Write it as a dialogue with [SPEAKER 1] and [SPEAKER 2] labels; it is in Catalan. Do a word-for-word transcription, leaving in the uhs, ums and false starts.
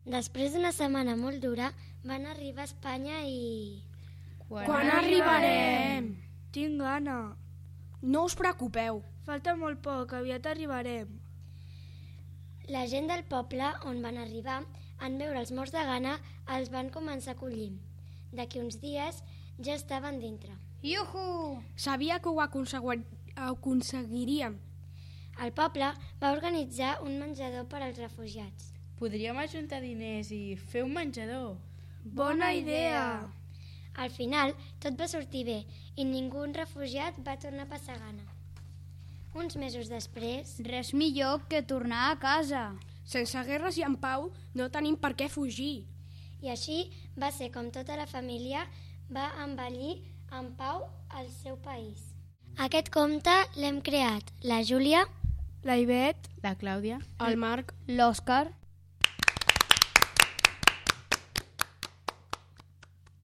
[SPEAKER 1] Després d'una setmana molt dura, van arribar a Espanya i...
[SPEAKER 2] Quan, Quan arribarem?
[SPEAKER 3] Tinc gana.
[SPEAKER 4] No us preocupeu.
[SPEAKER 3] Falta molt poc, aviat arribarem.
[SPEAKER 1] La gent del poble on van arribar, en veure els morts de gana, els van començar a acollir. D'aquí uns dies ja estaven dintre.
[SPEAKER 2] Iuhu!
[SPEAKER 4] Sabia que ho aconsegui- aconseguiríem.
[SPEAKER 1] El poble va organitzar un menjador per als refugiats.
[SPEAKER 5] Podríem ajuntar diners i fer un menjador.
[SPEAKER 3] Bona idea!
[SPEAKER 1] Al final, tot va sortir bé i ningú refugiat va tornar a passar gana. Uns mesos després...
[SPEAKER 2] Res millor que tornar a casa.
[SPEAKER 4] Sense guerres i en pau no tenim per què fugir.
[SPEAKER 1] I així va ser com tota la família va envellir en pau al seu país. Aquest conte l'hem creat la Júlia,
[SPEAKER 3] La Ivet,
[SPEAKER 5] La Clàudia,
[SPEAKER 4] El Marc,
[SPEAKER 2] L'Òscar